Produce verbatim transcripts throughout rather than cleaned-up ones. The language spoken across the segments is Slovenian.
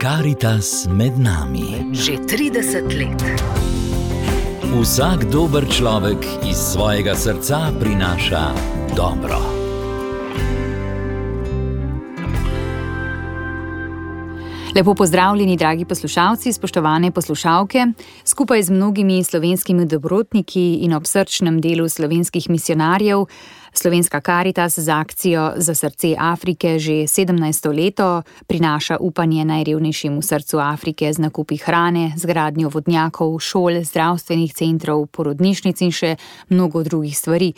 Karitas med nami. Že trideset let. Vsak dober človek iz svojega srca prinaša dobro. Lepo pozdravljeni, dragi poslušalci, spoštovane poslušalke. Skupaj z mnogimi slovenskimi dobrotniki in ob srčnem delu slovenskih misionarjev Slovenska Karitas z akcijo Za srce Afrike že sedemnajsto leto prinaša upanje najrevnejšim v srcu Afrike z nakupi hrane, z gradnjo vodnjakov, šol, zdravstvenih centrov, porodnišnic in še mnogo drugih stvari.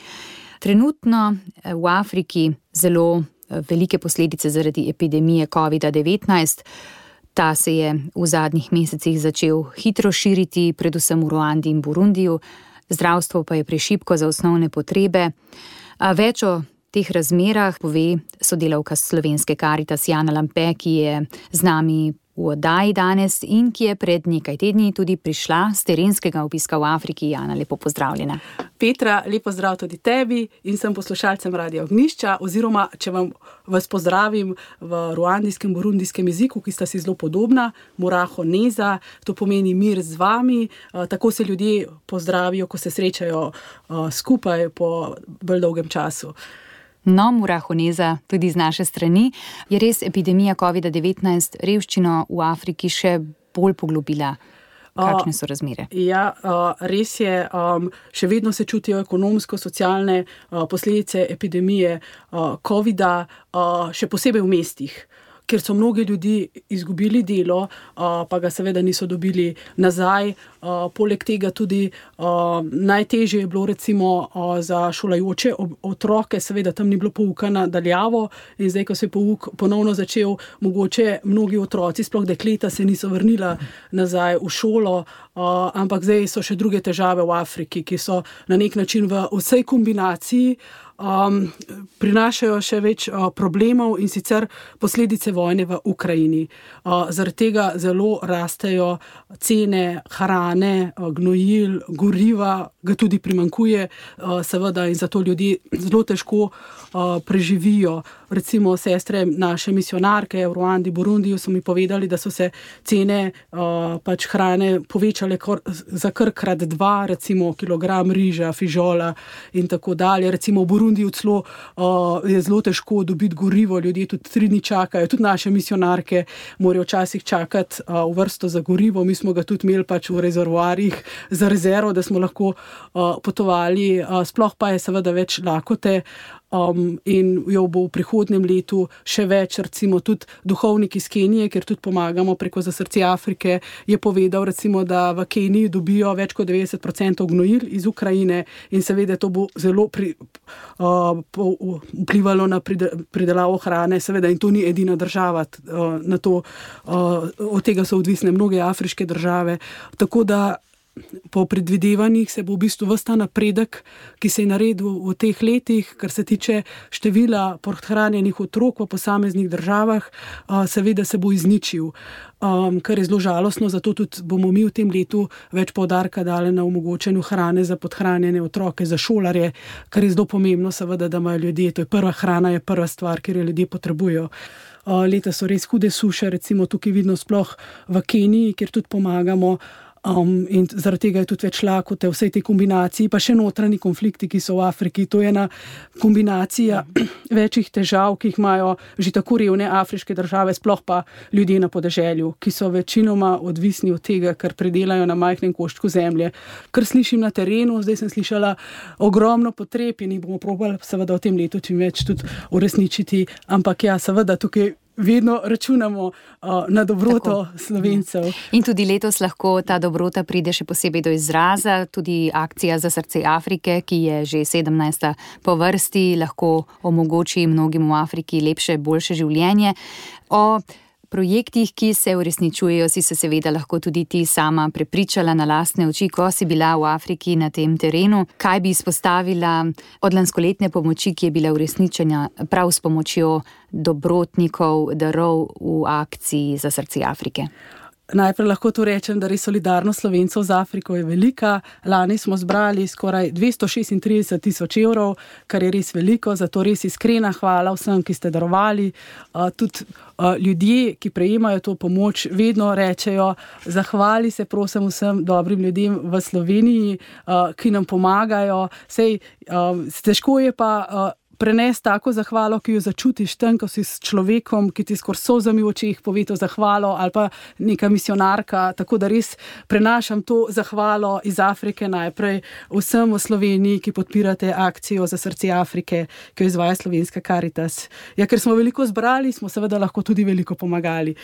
Trenutno v Afriki zelo velike posledice zaradi epidemije covid devetnajst. Ta se je v zadnjih mesecih začel hitro širiti, predvsem v Ruandi in Burundiju. Zdravstvo pa je prešibko za osnovne potrebe. A več o teh razmerah pove sodelavka Slovenske Karitas Jana Lampe, ki je z nami v oddaji danes in ki je pred nekaj tedni tudi prišla z terenskega obiska v Afriki. Jana, lepo pozdravljena. Petra, lepo zdrav tudi tebi in sem poslušalcem Radia Ognjišča, oziroma če vam vas pozdravim v ruandijskem, burundijskem jeziku, ki sta si zelo podobna, Muraho Neza, to pomeni mir z vami. Tako se ljudje pozdravijo, ko se srečajo skupaj po bolj dolgem času. No, Muraho Neza, tudi z naše strani. Je res epidemija covid devetnajst revščino v Afriki še bolj poglobila? Kakšne so razmere? Uh, ja, uh, res je. Um, še vedno se čutijo ekonomsko-socialne uh, posledice epidemije uh, covida, uh, še posebej v mestih, ker so mnogi ljudi izgubili delo, uh, pa ga seveda niso dobili nazaj. Uh, poleg tega tudi uh, najtežje je bilo recimo uh, za šolajoče otroke, seveda tam ni bilo pouka na daljavo in zdaj, ko se je pouk ponovno začel, mogoče mnogi otroci, sploh dekleta, se niso vrnila nazaj v šolo, uh, ampak zdaj so še druge težave v Afriki, ki so na nek način v vsej kombinaciji Um, prinašajo še več uh, problemov in sicer posledice vojne v Ukrajini. Uh, zaradi tega zelo rastejo cene hrane, uh, gnojil, goriva, ga tudi primanjkuje, uh, seveda, in zato ljudje zelo težko uh, preživijo. Recimo sestre naše misionarke v Ruandi, Burundiju so mi povedali, da so se cene uh, pač hrane povečale kar, za kar krat dva, recimo kilogram riža, fižola in tako dalje. Recimo v Burundiju celo uh, je zelo težko dobiti gorivo, ljudje tudi tri dni čakajo, tudi naše misionarke morajo včasih čakati uh, v vrsto za gorivo. Mi smo ga tudi imeli pač v rezervoarjih za rezervo, da smo lahko uh, potovali. Uh, sploh pa je seveda več lakote. Um, in jo bo v prihodnjem letu še več, recimo tudi duhovnik iz Kenije, ker tudi pomagamo preko Za srce Afrike, je povedal recimo, da v Keniji dobijo več kot devetdeset procentov gnojil iz Ukrajine in seveda to bo zelo pri, uh, po, vplivalo na pridelavo hrane, seveda, in to ni edina država uh, na to, uh, od tega so odvisne mnoge afriške države, tako da po predvidevanjih se bo v bistvu ves ta napredek, ki se je naredil v teh letih, kar se tiče števila podhranjenih otrok v posameznih državah, seveda se bo izničil, kar je zelo žalostno, zato tudi bomo mi v tem letu več poudarka dali na omogočanju hrane za podhranjene otroke, za šolarje, kar je zelo pomembno, seveda, da imajo ljudje, to je prva hrana, je prva stvar, ker jo ljudje potrebujejo. Leta so res hude suše, recimo tukaj vidno sploh v Keniji, kjer tudi pomagamo. Um, in zaradi tega je tudi več lakote v vsej tej kombinaciji, pa še notranji konflikti, ki so v Afriki. To je ena kombinacija večjih težav, ki jih imajo že tako revne afriške države, sploh pa ljudje na podeželju, ki so večinoma odvisni od tega, kar predelajo na majhnem koščku zemlje. Kar slišim na terenu, zdaj sem slišala ogromno potreb in jih bomo probali seveda v tem letu čim več tudi uresničiti, ampak ja, seveda tukaj vedno računamo uh, na dobroto Tako, Slovencev. Ja. In tudi letos lahko ta dobrota pride še posebej do izraza. Tudi akcija Za srce Afrike, ki je že sedemnajsta po vrsti, lahko omogoči mnogim v Afriki lepše, boljše življenje. O projektih, ki se uresničujejo, si se seveda lahko tudi ti sama prepričala na lastne oči, ko si bila v Afriki na tem terenu. Kaj bi izpostavila od lanskoletne pomoči, ki je bila uresničena prav s pomočjo dobrotnikov, darov v akciji Za srce Afrike? Najprej lahko to rečem, da res solidarnost Slovencev z Afriko je velika. Lani smo zbrali skoraj dvesto šestintrideset tisoč evrov, kar je res veliko, zato res iskrena hvala vsem, ki ste darovali. Tudi ljudje, ki prejemajo to pomoč, vedno rečejo, zahvali se prosim vsem dobrim ljudem v Sloveniji, ki nam pomagajo. Sej, težko je pa prenesti tako zahvalo, ki jo začutiš tam, ko si s človekom, ki ti skor solzami v očeh pove to zahvalo, ali pa neka misionarka, tako da res prenašam to zahvalo iz Afrike najprej vsem v Sloveniji, ki podpirate akcijo za srce Afrike, ki jo izvaja Slovenska Karitas. Ja, ker smo veliko zbrali, smo seveda lahko tudi veliko pomagali.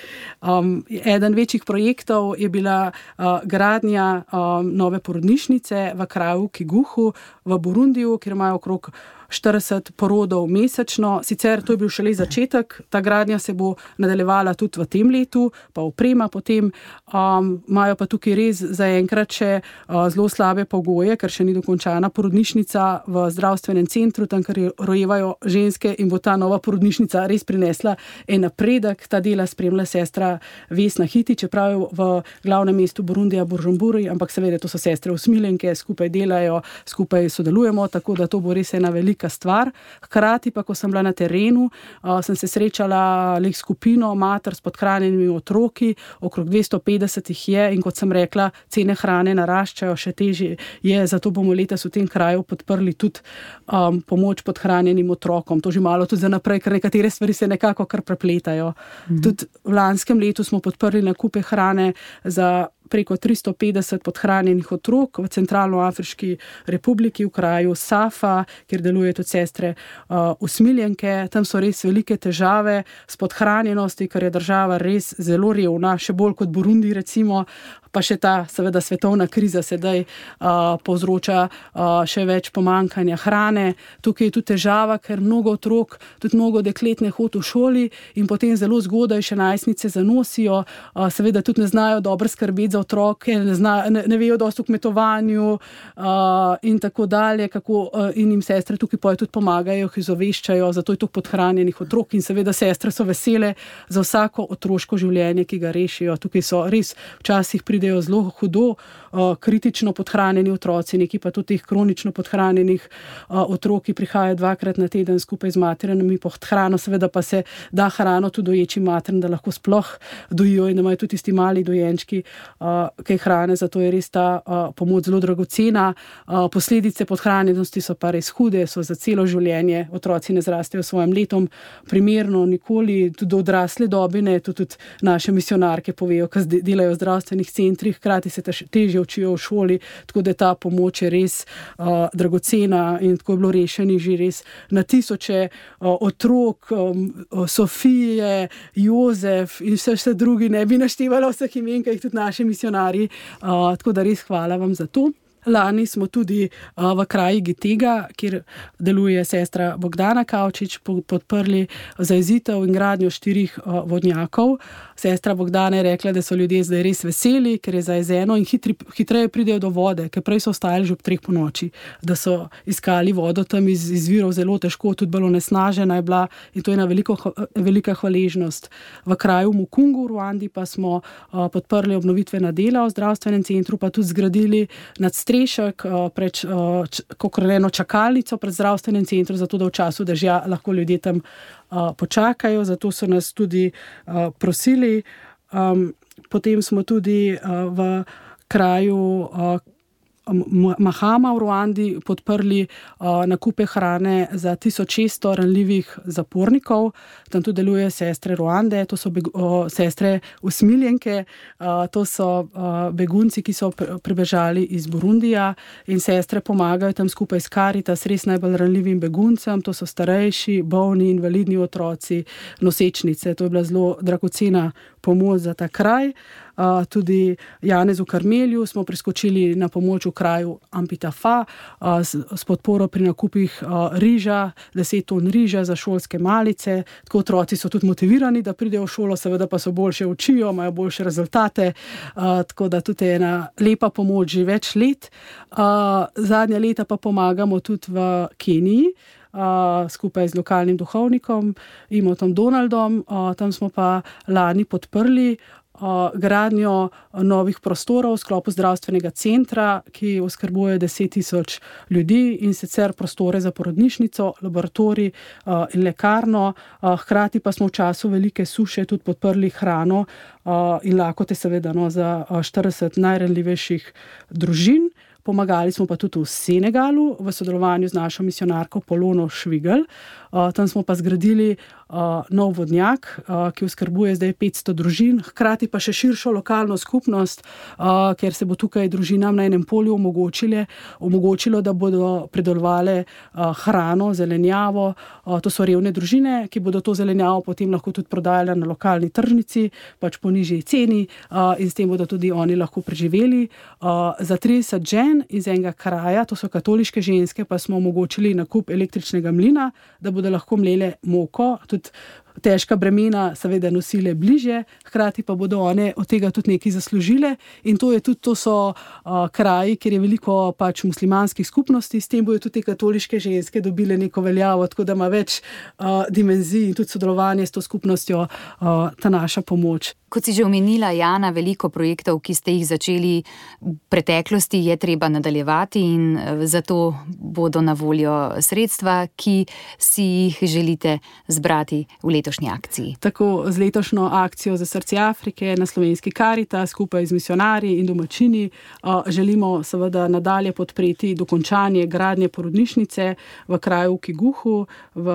Um, eden večjih projektov je bila uh, gradnja um, nove porodnišnice v kraju Kiguhu v Burundiju, kjer imajo okrog štirideset porodov mesečno. Sicer to je bil šele začetek, ta gradnja se bo nadaljevala tudi v tem letu, pa oprema potem. Um, imajo pa tukaj res zaenkrat še uh, zelo slabe pogoje, ker še ni dokončana porodnišnica v zdravstvenem centru, tam, kjer rojevajo ženske, in bo ta nova porodnišnica res prinesla en napredek. Ta dela spremlja sestra Vesna Hiti, čeprav je v glavnem mestu Burundija Bujumburi, ampak seveda to so sestre usmiljenke, skupaj delajo, skupaj sodelujemo, tako da to bo res ena velika stvar. Hkrati pa, ko sem bila na terenu, uh, sem se srečala leh skupino mater s podhranjenimi otroki, okrog dvesto petdeset jih je, in kot sem rekla, cene hrane naraščajo, še težje je, zato bomo letos v tem kraju podprli tudi um, pomoč podhranjenim otrokom. To že malo tudi za naprej, ker nekatere stvari se nekako kar prepletajo. Mhm. Tudi v lanskem letu smo podprli nakupe hrane za preko tristo petdeset podhranjenih otrok v Centralnoafriški republiki, v kraju Safa, kjer delujejo tudi sestre uh, usmiljenke. Tam so res velike težave s podhranjenosti, ker je država res zelo revna, še bolj kot Burundi recimo, pa še ta seveda svetovna kriza sedaj uh, povzroča uh, še več pomankanja hrane. Tukaj je tudi težava, ker mnogo otrok, tudi mnogo deklet ne hodi v šoli in potem zelo zgodaj še najstnice zanosijo, uh, seveda tudi ne znajo dobro skrbeti za otroke, ne, zna, ne, ne vejo dosti o kmetovanju uh, in tako dalje, kako uh, in jim sestre tukaj poje tudi pomagajo, jih izoveščajo, zato je to podhranjenih otrok in seveda sestre so vesele za vsako otroško življenje, ki ga rešijo. Tukaj so res včasih pridejo zelo hudo, uh, kritično podhranjeni otroci, neki pa tudi teh kronično podhranjenih uh, otrok, ki prihajajo dvakrat na teden skupaj z materinami pod hrano, seveda pa se da hrano tudi doječi materin, da lahko sploh dojijo in da imajo tudi tisti mali dojenčki uh, kaj hrane, zato je res ta uh, pomoč zelo dragocena. Uh, posledice podhranjenosti so pa res hude, so za celo življenje, otroci ne zrastejo svojim letom primerno nikoli, tudi do odrasle dobe ne, tudi, tudi naše misionarke povejo, ki delajo v zdravstvenih centrih, hkrati se težje učijo v šoli, tako da ta pomoč je res uh, dragocena in tako je bilo rešenih že res na tisoče uh, otrok, um, Sofije, Jozef in vse, vse drugi, ne bi naštevala vseh imen, ki jih tudi naši misionarji, uh, tako da res hvala vam za to. Lani smo tudi uh, v kraji Gitega, kjer deluje sestra Bogdana Kavčič, podprli zajezitev in gradnjo štirih uh, vodnjakov. Sestra Bogdana je rekla, da so ljudje zdaj res veseli, ker je zajezeno in hitri, hitreje pridejo do vode, ker prej so ostajali že ob treh ponoči, da so iskali vodo tam iz, iz virov zelo težko, tudi bilo nesnažena je bila in to je ena veliko, velika hvaležnost. V kraju Mukungu v Ruandi pa smo uh, podprli obnovitvena dela v zdravstvenem centru, pa tudi zgradili nadstrešek uh, pred uh, č, eno čakalnico pred zdravstvenem centru, zato da v času dežja lahko ljudje tam uh, počakajo, zato so nas tudi uh, prosili. Um, potem smo tudi uh, v kraju uh, Mahama v Ruandi podprli uh, nakupe hrane za tisoč šeststo ranljivih zapornikov. Tam tudi deluje sestre Ruande, to so beg, uh, sestre usmiljenke, uh, to so uh, begunci, ki so pribežali iz Burundija in sestre pomagajo tam skupaj s Karitas res najbolj ranljivim beguncem, to so starejši, bolni, invalidni otroci, nosečnice. To je bila zelo dragocena pomoč za ta kraj. Uh, tudi Janezu Karmelju smo priskočili na pomoč v kraju Ampitafa uh, s, s podporo pri nakupih uh, riža, deset ton riža za šolske malice. Tako otroci so tudi motivirani, da pridejo v šolo, seveda pa so boljše učijo, imajo boljše rezultate, uh, tako da tudi je ena lepa pomoč že več let. Uh, zadnja leta pa pomagamo tudi v Keniji. uh, skupaj z lokalnim duhovnikom, Imotom Donaldom. Uh, tam smo pa lani podprli uh, gradnjo novih prostorov v sklopu zdravstvenega centra, ki oskrbuje deset tisoč ljudi, in sicer prostore za porodnišnico, laboratorij uh, in lekarno. Uh, hkrati pa smo v času velike suše tudi podprli hrano uh, in lakote seveda no, za uh, štirideset najranljivejših družin. Pomagali smo pa tudi v Senegalu v sodelovanju z našo misijonarko Polono Švigelj. Uh, tam smo pa zgradili uh, nov vodnjak, uh, ki oskrbuje zdaj petsto družin, hkrati pa še širšo lokalno skupnost, uh, ker se bo tukaj družinam na enem polju omogočile, omogočilo, da bodo pridelovale uh, hrano, zelenjavo. Uh, to so revne družine, ki bodo to zelenjavo potem lahko tudi prodajale na lokalni tržnici, pač po nižji ceni, uh, in s tem bodo tudi oni lahko preživeli. Uh, za trideset žen iz enega kraja, to so katoliške ženske, pa smo omogočili nakup električnega mlina, da bodo lahko mlele moko, tudi težka bremena seveda nosile bliže, hkrati pa bodo one od tega tudi nekaj zaslužile, in to je tudi, to so uh, kraji, kjer je veliko pač muslimanskih skupnosti, s tem bojo tudi katoliške ženske dobile neko veljavo, tako da ima več uh, dimenzij in tudi sodelovanje s to skupnostjo uh, ta naša pomoč. Kot si že omenila, Jana, veliko projektov, ki ste jih začeli v preteklosti, je treba nadaljevati in zato bodo na voljo sredstva, ki si jih želite zbrati v letošnji akciji. Tako z letošnjo akcijo za srce Afrike na Slovenski Karitas skupaj z misijonarji in domačini želimo seveda nadalje podpreti dokončanje gradnje porodnišnice v kraju Kiguhu v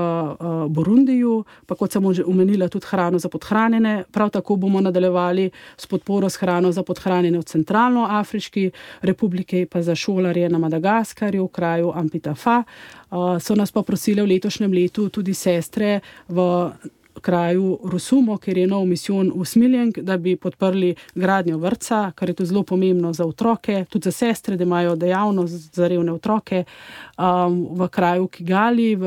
Burundiju, pa kot sem že omenila tudi hrano za podhranjene. Prav tako bomo nadaljevali s podporo s hrano za podhranjene v Centralnoafriški republiki, pa za šolarje na Madagaskarju, v kraju Ampitafa. Uh, so nas pa prosile v letošnjem letu tudi sestre v kraju Rusumo, kjer je nov misijon usmiljen, da bi podprli gradnjo vrtca, kar je to zelo pomembno za otroke, tudi za sestre, da imajo dejavnost za revne otroke. Um, v kraju Kigali, v,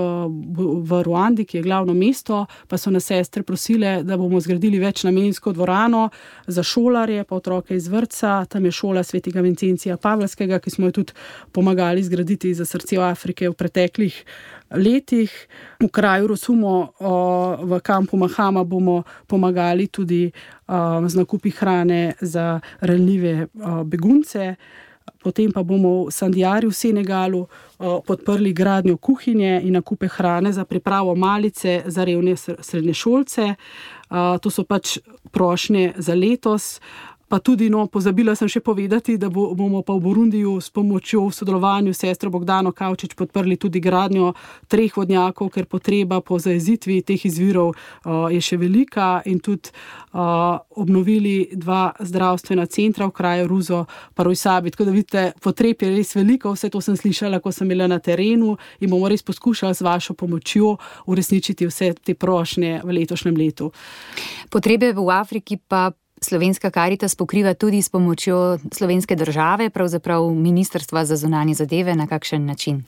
v Ruandi, ki je glavno mesto, pa so nas sestre prosile, da bomo zgradili večnamensko dvorano za šolarje, pa otroke iz vrtca. Tam je šola svetega Vincencija Pavlskega, ki smo jo tudi pomagali zgraditi za srce Afrike v preteklih letih. V kraju Rusumo v kampu Mahama bomo pomagali tudi z nakupi hrane za ranljive begunce. Potem pa bomo v Sandjari v Senegalu podprli gradnjo kuhinje in nakupe hrane za pripravo malice za revne srednješolce. To so pač prošnje za letos. Pa tudi, no, pozabila sem še povedati, da bo, bomo pa v Burundiju s pomočjo v sodelovanju s sestro Bogdano Kavčič podprli tudi gradnjo treh vodnjakov, ker potreba po zajezitvi teh izvirov uh, je še velika, in tudi uh, obnovili dva zdravstvena centra v kraju Ruzo pa Rojsabi. Tako da vidite, potreb je res veliko, vse to sem slišala, ko sem bila na terenu, in bomo res poskušali s vašo pomočjo uresničiti vse te prošnje v letošnjem letu. Potrebe v Afriki pa Slovenska Karitas pokriva tudi s pomočjo slovenske države, pravzaprav Ministrstva za zunanje zadeve. Na kakšen način?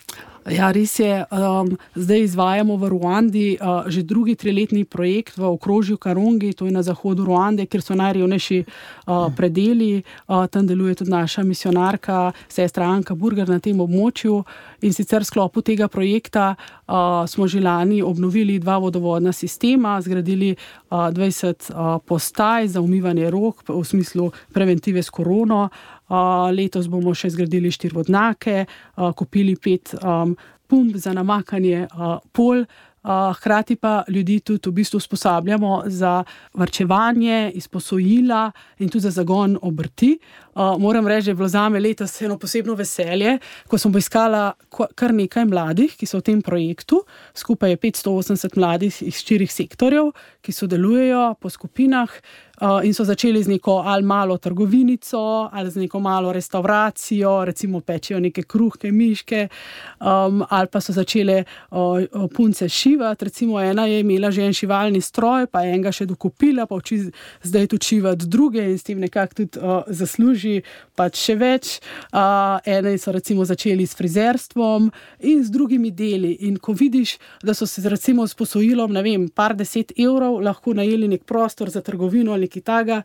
Ja, res je. Um, zdaj izvajamo v Ruandi uh, že drugi triletni projekt v okrožju Karongi, to je na zahodu Ruande, kjer so najrevnejši uh, predeli. Uh, tam deluje tudi naša misijonarka, sestra Anka Burger na tem območju. In sicer v sklopu tega projekta uh, smo že lani obnovili dva vodovodna sistema, zgradili uh, dvajset uh, postaj za umivanje rok v smislu preventive s korono. Uh, letos bomo še zgradili štiri vodnjake, uh, kupili pet um, pump za namakanje uh, pol, uh, hkrati pa ljudi tudi v bistvu usposabljamo za varčevanje, izposojila in tudi za zagon obrti. Uh, moram reči, da je bilo zame letos eno posebno veselje, ko sem poiskala kar nekaj mladih, ki so v tem projektu. Skupaj je petsto osemdeset mladih iz štirih sektorjev, ki sodelujejo po skupinah. Uh, in so začeli z neko ali malo trgovinico, ali z neko malo restauracijo, recimo pečijo neke kruhke, miške, um, ali pa so začele uh, punce šivati. Recimo ena je imela že en šivalni stroj, pa je enega še dokupila, pa uči zdaj tudi šivati druge in s tem nekako tudi uh, zasluži pač še več. Uh, ene so recimo začeli s frizerstvom in z drugimi deli. In ko vidiš, da so se recimo s posojilom, ne vem, par deset evrov lahko najeli nek prostor za trgovino ali nekaj taga,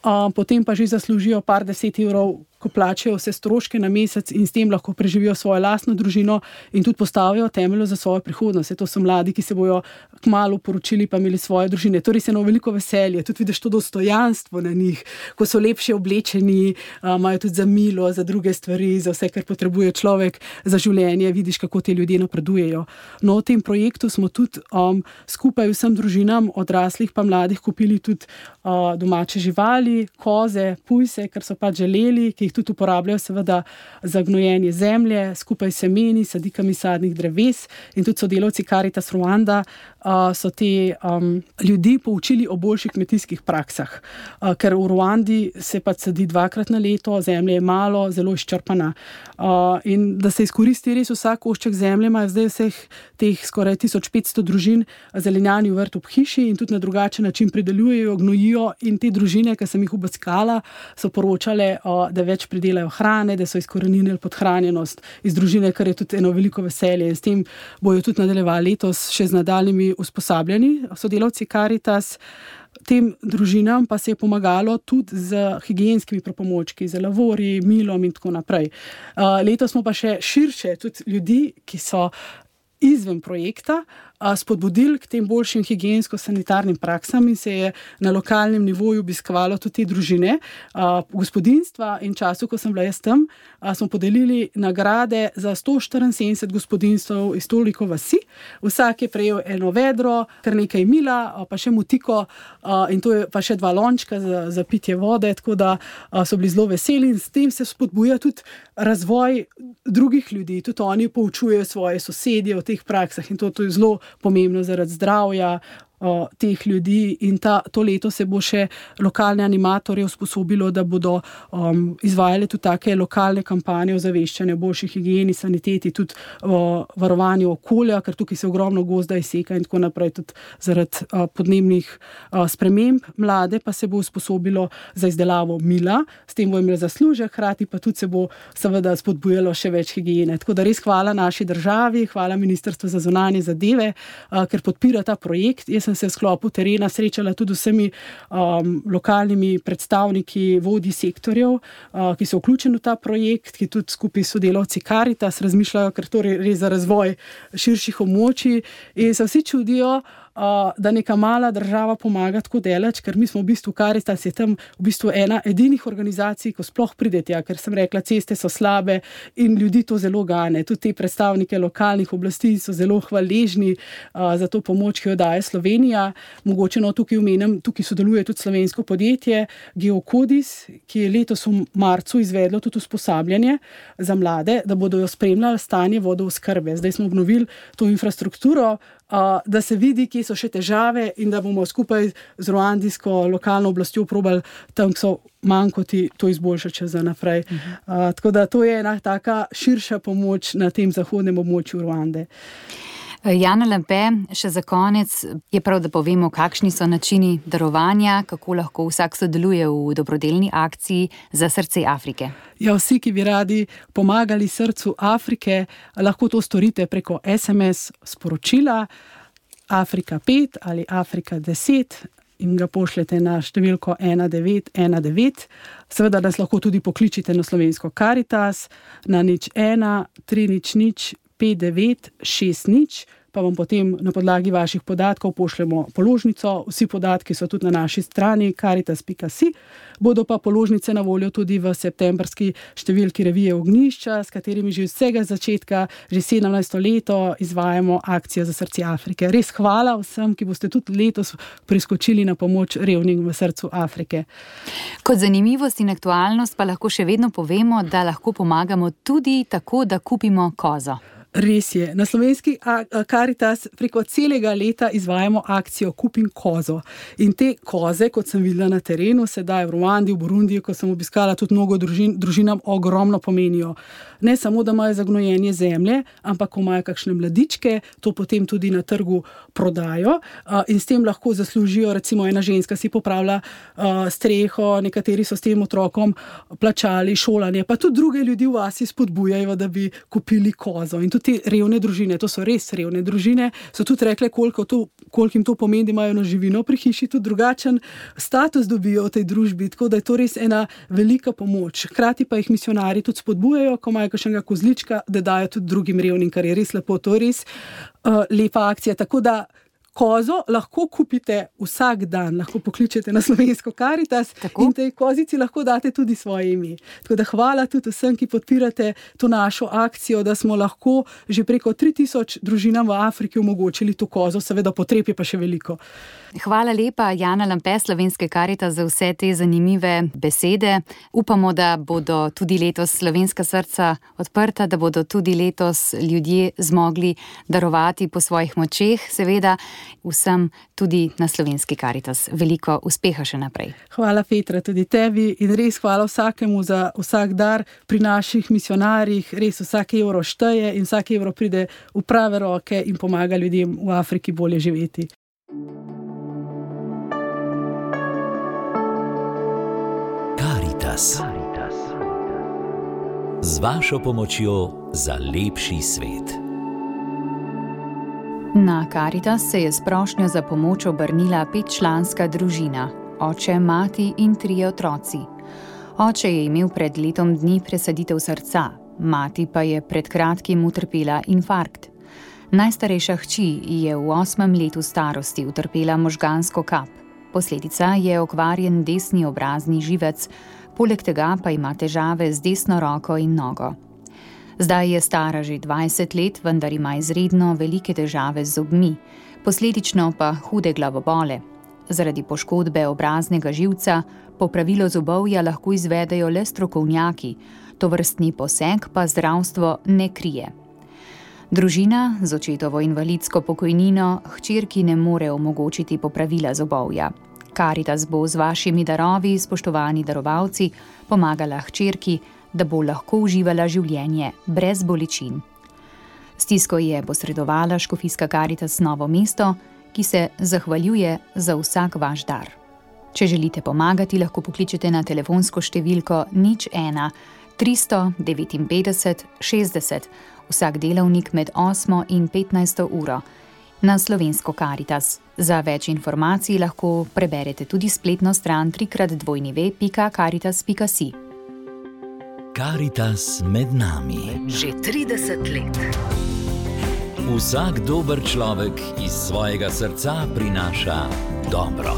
um, potem pa že zaslužijo par deset evrov lahko plačajo vse stroške na mesec in s tem lahko preživijo svojo lastno družino in tudi postavijo temelje za svojo prihodnost. To so mladi, ki se bojo kmalu poročili pa imeli svoje družine. Torej se eno veliko veselje, tudi vidiš to dostojanstvo na njih, ko so lepše oblečeni, imajo tudi za milo, za druge stvari, za vse, kar potrebuje človek za življenje, vidiš, kako te ljudje napredujejo. No, v tem projektu smo tudi um, skupaj vsem družinam, odraslih pa mladih, kupili tudi uh, domače živali, koze, pujse, kar so pač želeli, ki jih tudi uporabljajo seveda za gnojenje zemlje, skupaj s semeni, sadikami sadnih dreves in tudi sodelavci Caritas Rwanda uh, so te um, ljudi poučili o boljših kmetijskih praksah, uh, ker v Rwandi se pač sadi dvakrat na leto, zemlje je malo, zelo izčrpana. Uh, in da se izkoristi res vsak košček zemlje, imajo zdaj vseh teh skoraj tisoč petsto družin zelenjani vrt ob hiši in tudi na drugačen način pridelujejo, gnojijo in te družine, ki sem jih obiskala, so poročale, uh, da več pridelajo hrane, da so izkoreninili podhranjenost iz družine, kar je tudi eno veliko veselje. In s tem bojo tudi nadaljevali letos še z nadaljnjimi usposabljani sodelavci Caritas. Tem družinam pa se je pomagalo tudi z higienskimi pripomočki, z lavori, milom in tako naprej. Uh, letos smo pa še širše tudi ljudi, ki so izven projekta, spodbudili k tem boljšim higiensko-sanitarnim praksam in se je na lokalnem nivoju obiskovalo tudi te družine, gospodinjstva in času, ko sem bila jaz tam, smo podelili nagrade za sto štiriinsedemdeset gospodinjstv iz toliko vasi. Vsak je prejel eno vedro, kar nekaj mila, pa še mutiko in to je pa še dva lončka za, za pitje vode, tako da so bili zelo veseli in s tem se spodbuja tudi razvoj drugih ljudi, tudi oni poučujejo svoje sosedje o teh praksah in to, to je zelo pomembno zaradi zdravja o, teh ljudi in ta, to leto se bo še lokalne animatorje usposobilo, da bodo um, izvajali tudi take lokalne kampanje o zaveščanju, boljši higieni, saniteti, tudi o varovanju okolja, ker tukaj se ogromno gozda izseka in tako naprej, tudi zaradi uh, podnebnih uh, sprememb. Mlade pa se bo usposobilo za izdelavo mila, s tem bo imel zaslužek, hkrati pa tudi se bo seveda spodbujalo še več higiene. Tako da res hvala naši državi, hvala Ministrstvu za zunanje zadeve, uh, ker podpira ta projekt. Jaz sem se v sklopu terena srečala tudi vsemi um, lokalnimi predstavniki, vodji sektorjev, uh, ki so vključeni v ta projekt, ki tudi skupaj s sodelavci Caritas razmišljajo, ker to je res za razvoj širših območij in se vsi čudijo, Uh, da neka mala država pomaga tako daleč, ker mi smo v bistvu Caritas je tam v bistvu ena edinih organizacij, ko sploh pridete, ja, ker sem rekla, ceste so slabe in ljudi to zelo gane. Tudi te predstavnike lokalnih oblasti so zelo hvaležni uh, za to pomoč, ki jo daje Slovenija. Mogoče no tukaj omenim, tukaj sodeluje tudi slovensko podjetje Geokodis, ki je letos v marcu izvedlo tudi usposabljanje za mlade, da bodo jo spremljali stanje vodooskrbe. Zdaj smo obnovili to infrastrukturo, Uh, da se vidi, kje so še težave in da bomo skupaj z ruandijsko lokalno oblastjo probali tam, ki so manjkoti, to izboljšati še za naprej. Uh-huh. Uh, tako da to je ena taka širša pomoč na tem zahodnem območju Ruande. Jana Lampe, še za konec je prav, da povemo, kakšni so načini darovanja, kako lahko vsak sodeluje v dobrodelni akciji za srce Afrike. Ja, vsi, ki bi radi pomagali srcu Afrike, lahko to storite preko es em es sporočila Afrika pet ali Afrika deset in ga pošljete na številko ena devet ena devet. Seveda nas lahko tudi pokličite na slovensko Caritas na nič ena tri nič nič pet devet šest nič, pa vam potem na podlagi vaših podatkov pošljemo položnico. Vsi podatki so tudi na naši strani caritas pika si. Bodo pa položnice na voljo tudi v septembrski številki revije Ognjišča, s katerimi že vsega začetka, že sedemnajsto leto izvajamo akcijo za srce Afrike. Res hvala vsem, ki boste tudi letos priskočili na pomoč revnim v srcu Afrike. Kot zanimivost in aktualnost pa lahko še vedno povemo, da lahko pomagamo tudi tako, da kupimo kozo. Res je. Na slovenski Caritas preko celega leta izvajamo akcijo Kupim kozo. In te koze, kot sem videla na terenu, sedaj v Ruandi, v Burundiji, ko sem obiskala tudi mnogo družin, družinam ogromno pomenijo. Ne samo, da imajo za gnojenje zemlje, ampak ko imajo kakšne mladičke, to potem tudi na trgu prodajo in s tem lahko zaslužijo, recimo ena ženska si popravlja streho, nekateri so s tem otrokom plačali šolanje, pa tudi druge ljudi v vasi spodbujajo, da bi kupili kozo. In tudi te revne družine, to so res revne družine, so tudi rekle, koliko, to, koliko jim to pomeni, da imajo na živino pri hiši, tudi drugačen status dobijo v tej družbi, tako da je to res ena velika pomoč. Hkrati pa jih misionarji tudi spodbujajo, ko imajo kakšnega kozlička, da dajo tudi drugim revnim, kar je res lepo, to je res uh, lepa akcija. Tako da kozo lahko kupite vsak dan, lahko pokličete na Slovensko Karitas Tako? In tej kozici lahko date tudi svoje ime. Tako da hvala tudi vsem, ki podpirate to našo akcijo, da smo lahko že preko tri tisoč družinam v Afriki omogočili to kozo, seveda potreb je pa še veliko. Hvala lepa, Jana Lampe, Slovenske Karitas, za vse te zanimive besede. Upamo, da bodo tudi letos slovenska srca odprta, da bodo tudi letos ljudje zmogli darovati po svojih močeh, seveda. Vsem tudi na Slovenski Karitas. Veliko uspeha še naprej. Hvala, Petra, tudi tebi in res hvala vsakemu za vsak dar pri naših misionarjih. Res vsak evro šteje in vsak evro pride v prave roke in pomaga ljudem v Afriki bolje živeti. Karitas. Z vašo pomočjo za lepši svet. Na Karitas se je s prošnjo za pomoč obrnila petčlanska družina, oče, mati in trije otroci. Oče je imel pred letom dni presaditev srca, mati pa je pred kratkim utrpela infarkt. Najstarejša hči je v osmem letu starosti utrpela možgansko kap. Posledica je okvarjen desni obrazni živec, poleg tega pa ima težave z desno roko in nogo. Zdaj je stara že dvajset let, vendar ima izredno velike težave z zobmi, posledično pa hude glavobole. Zaradi poškodbe obraznega živca popravilo zobovja lahko izvedejo le strokovnjaki, tovrstni poseg pa zdravstvo ne krije. Družina z očetovo invalidsko pokojnino hčerki ne more omogočiti popravila zobovja. Karitas bo z vašimi darovi, spoštovani darovalci, pomagala hčerki, da bo lahko uživala življenje brez bolečin. Stisko je posredovala škofijska Karitas Novo mesto, ki se zahvaljuje za vsak vaš dar. Če želite pomagati, lahko pokličete na telefonsko številko nič ena tristo devetinpetdeset šestdeset, vsak delovnik med osmo in petnajsto uro, na Slovensko Karitas. Za več informacij lahko preberete tudi spletno stran trikrat dvojni pika karitas pika si. Karitas med nami. Že trideset let. Vsak dober človek iz svojega srca prinaša dobro.